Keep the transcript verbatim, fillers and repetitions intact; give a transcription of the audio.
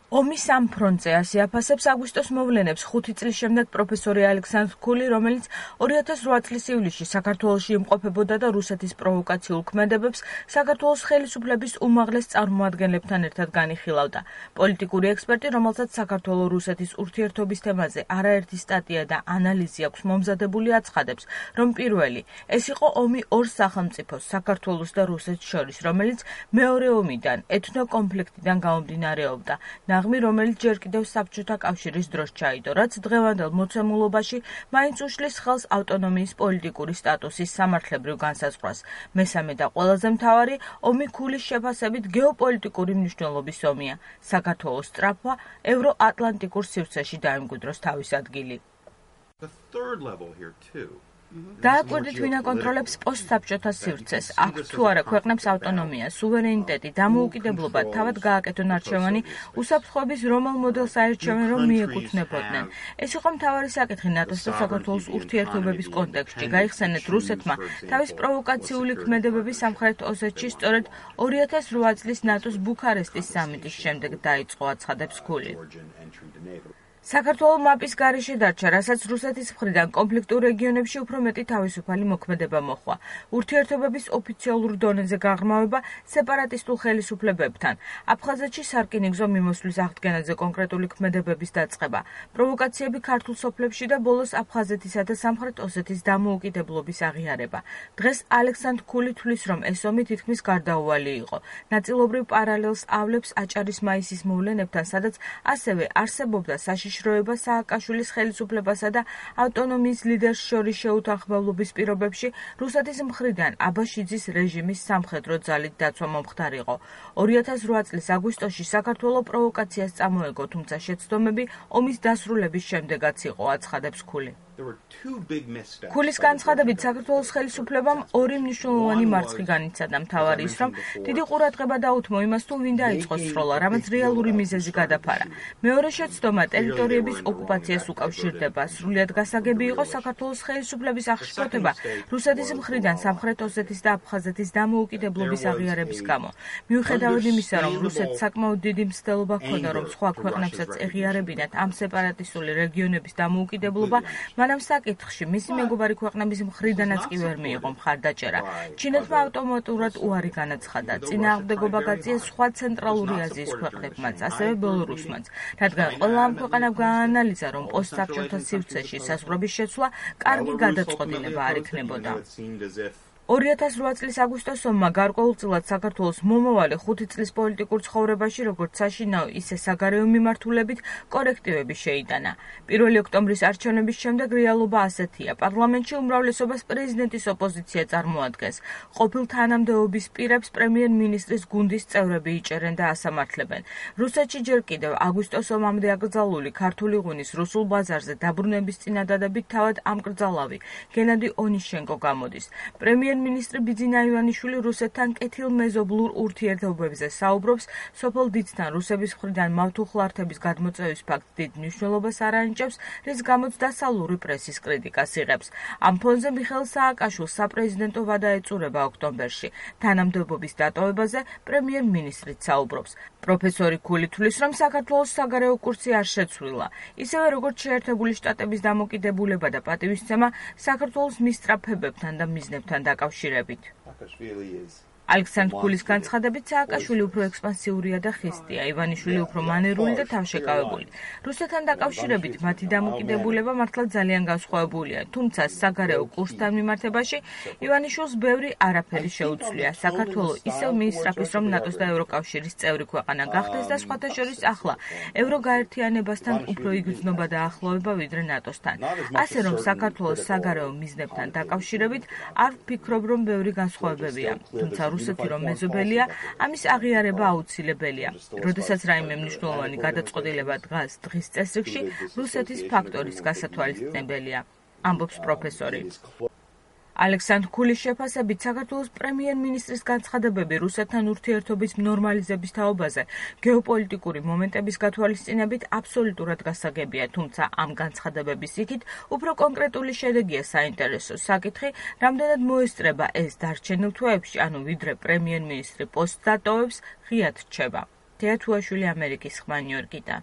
ომის ამ ფრონტზე ასე აფასებს აგვისტოს მოვლენებს ხუთი წლის შემდეგ პროფესორი ალექსანდრ ქული, რომელიც ორი ათას რვა წლის ივლისში საქართველოში იმყოფებოდა და რუსეთის პროვოკაციულ ქმედებებს საქართველოს ხელისუფლების უმაღლეს წარმომადგენლებთან ერთად განიხილავდა. პოლიტიკური ექსპერტი, რომელსაც საქართველო-რუსეთის ურთიერთობის თემაზე არაერთი სტატია და ანალიზი აქვს მომზადებული, აცხადებს, რომ პირველი, ეს იყო ომი ორ სახელმწიფოს, საქართველოს და რუსეთს შორის, რომელიც მეორე ომიდან, ეთნო-კონფლიქტიდან გამომდინარეობდა. ნაღმი, რომელიც ჯერ კიდევ საბჭოთა კავშირის დროს ჩაიდო, რაც დღევანდელ მოცემულობაში მაინც უშლის ხელს ავტონომიის პოლიტიკური სტატუსის სამართლებრივ განსაზღვრას. მესამე და ყველაზე მთავარი, ომი ქულის შეფასებით გეოპოლიტიკური მნიშვნელობის ომია. საქართველოს სწრაფვა ევროატლანტიკურ სივრცეში დაემკვიდროს თავის ადგილი. დააკვირდით, ვინ აკონტროლებს პოსტსაბჭოთა სივრცეს, აქვს თუ არა ქვეყნებს ავტონომია, სუვერენიტეტი, დამოუკიდებლობა, თავად გააკეთონ არჩევანი, უსაფრთხოების რომელ მოდელს აერჩევენ, რომ მიეკუთვნებოდნენ. ეს იყო მთავარი საკითხი ნატოს და საქართველოს ურთიერთობების კონტექსტში. გაიხსენეთ, რუსეთმა თავის პროვოკაციული ქმედებები სამხრეთ ოსეთში სწორედ ორი ათას რვა წლის ნატოს ბუქარესტის სამიტის შემდეგ დაიწყო, აცხადებს ქული. საქართველო მაპის გარეშე დარჩა, რასაც რუსეთის მხრიდან კონფლიქტურ რეგიონებში უფრო მეტი თავისუფალი მოქმედება მოჰყვა. ურთიერთობების ოფიციალურ დონეზე გაღრმავება სეპარატისტულ ხელისუფლებებთან, აფხაზეთში სარკინიგზო მიმოსვლის აღდგენაზე კონკრეტული ქმედებების დაწყება, პროვოკაციები ქართულ სოფლებში და ბოლოს აფხაზეთისა და სამხრეთ ოსეთის დამოუკიდებლობის აღიარება. დღეს ალექსანდრ ქული თვლის, რომ ეს ომი თითქმის გარდაუვალი იყო. ნაწილობრივ პარალელს ავლებს აჭარის მაისის მოვლენებთან, სადაც ასევე არსებობდა საშიშ შროება სააკაშვილის ხელისუფლებასა და ავტონომიის ლიდერს შორის შეუთანხმებლობის პირობებში რუსეთის მხრიდან აბაშიძის რეჟიმის სამხედრო ძალით დაცვა მომხდარიყო. ორი ათას რვა წლის აგვისტოში საქართველო პროვოკაციას წამოეგო, თუმცა შეცდომები ომის დასრულების შემდეგაც იყო, აცხადებს ქული. ქულის განცხადებით, საქართველოს ხელისუფლებამ ორი მნიშვნელოვანი მარცხი განიცადა. მთავარი ის, რომ დიდი ყურადღება დაუთმო იმას, თუ ვინ დაიწყო სროლა, რამაც რეალური მიზეზი გადაფარა. მეორე შეცდომა ტერიტორიების ოკუპაციას უკავშირდება. სრულიად გასაგები იყო საქართველოს ხელისუფლების აღშფოთება რუსეთის მხრიდან სამხრეთ ოსეთის და აფხაზეთის დამოუკიდებლობის აღიარების გამო. მიუხედავად იმისა, რომ რუსეთს საკმაოდ დიდი მცდელობა ჰქონდა, რომ სხვა ქვეყნებსაც ეღიარებინათ ამ სეპარატისტული რეგიონების დამოუკიდებლობა, მანამ საკითხში მისი მეგობარი ქვეყნების მხრიდანაც კი ვერ მიიღო მხარდაჭერა. ჩინეთმა ავტომატურად უარი განაცხადა. წინააღმდეგობა გაწიეს სხვა ცენტრალური აზიის ქვეყნებმაც, ასევე ბელორუსმაც, რადგან ყველა ამ ქვეყანამ გააანალიზა, რომ პოსტსაბჭოთა სივრცეში საზღვრების შეცვლა კარგი გადაწყვეტილება არ იქნებოდა. ორი ათას რვა წლის აგვისტოს ომმა გარკვეულწილად საქართველოს მომავალი ხუთი წლის პოლიტიკურ ცხოვრებაში როგორც საშინაო, ისე საგარეო მიმართულებით კორექტივები შეიტანა. პირველი ოქტომბრის არჩევნების შემდეგ რეალობა ასეთია. პარლამენტში უმრავლესობას პრეზიდენტის ოპოზიცია წარმოადგენს. ყოფილ თანამდებობის პირებს პრემიერ-მინისტრის გუნდის წევრები იჭერენ და ასამართლებენ. რუსეთში ჯერ კიდევ აგვისტოს ომამდე აკრძალული ქართული ღვინის რუსულ ბაზარზე დაბრუნების წინადადებით თავად ამკრძალავი გენადი ონიშენკო გამოდის. პრემიერ მინისტრი ბიძინა ივანიშვილი რუსეთთან კეთილმეზობლურ ურთიერთობებზე საუბრობს, სოფელ დიცთან რუსების მხრიდან მავთუხლართების გადმოწევის ფაქტს დიდ მნიშვნელობას არ ანიჭებს, რის გამოც დასავლური პრესის კრიტიკას იღებს. ამ ფონზე მიხეილ სააკაშვილს საპრეზიდენტო ვადა ეწურება ოქტომბერში. თანამდებობის დატოვებაზე პრემიერ-მინისტრიც საუბრობს. პროფესორი ქული თვლის, რომ საქართველოს საგარეო კურსი არ შეცვლილა. ისევე როგორც შეერთებული შტატების დამოკიდებულება და პატივისცემა საქართველოს მისწრაფებებთან და მიზნებთან დაკავშირებით. ალექსანდრ ქულის განცხადებით, სააკაშვილი უფრო ექსპანსიურია და ხისტია, ივანიშვილი უფრო მანერული და თავშეკავებული. რუსეთთან დაკავშირებით მათი დამოკიდებულება მართლაც ძალიან განსხვავებულია, თუმცა საგარეო კურსთან მიმართებაში ივანიშვილს ბევრი არაფერი შეუცვლია. საქართველო ისევ მიისწრაფის, რომ ნატოს და ევროკავშირის წევრი ქვეყანა გახდეს და სხვათა შორის ახლა ევროგაერთიანებასთან უფრო იგრძნობა და ახლოვება ვიდრე ნატოსთან. ასე რომ საქართველოს საგარეო მიზნებთან დაკავშირებით არ ვფიქრობ, რომ ბევრი განსხვავებებია, თუმცა რუსეთი რომ მეზობელია, ამის აღიარება აუცილებელია. როდესაც რაიმე მნიშვნელოვანი გადაწყვეტილება დგას დღის წესრიგში, რუსეთის ფაქტორის გასათვალისწინებელია, ამბობს პროფესორი. ალექსანდრ ქულის შეფასებით, საქართველოს პრემიერ-მინისტრის განცხადებები რუსეთთან ურთიერთობის ნორმალიზების თაობაზე გეოპოლიტიკური მომენტების გათვალისწინებით აბსოლუტურად გასაგებია, თუმცა ამ განცხადებების იქით უფრო კონკრეტული შედეგია საინტერესო საკითხი, რამდენად მოესწრება ეს დარჩენილ თვეებში, ანუ ვიდრე პრემიერ-მინისტრი პოსტს დატოვებს, ღიად რჩება. თეა თუაშვილი, ამერიკის ხმა, ნიუ-იორკიდან.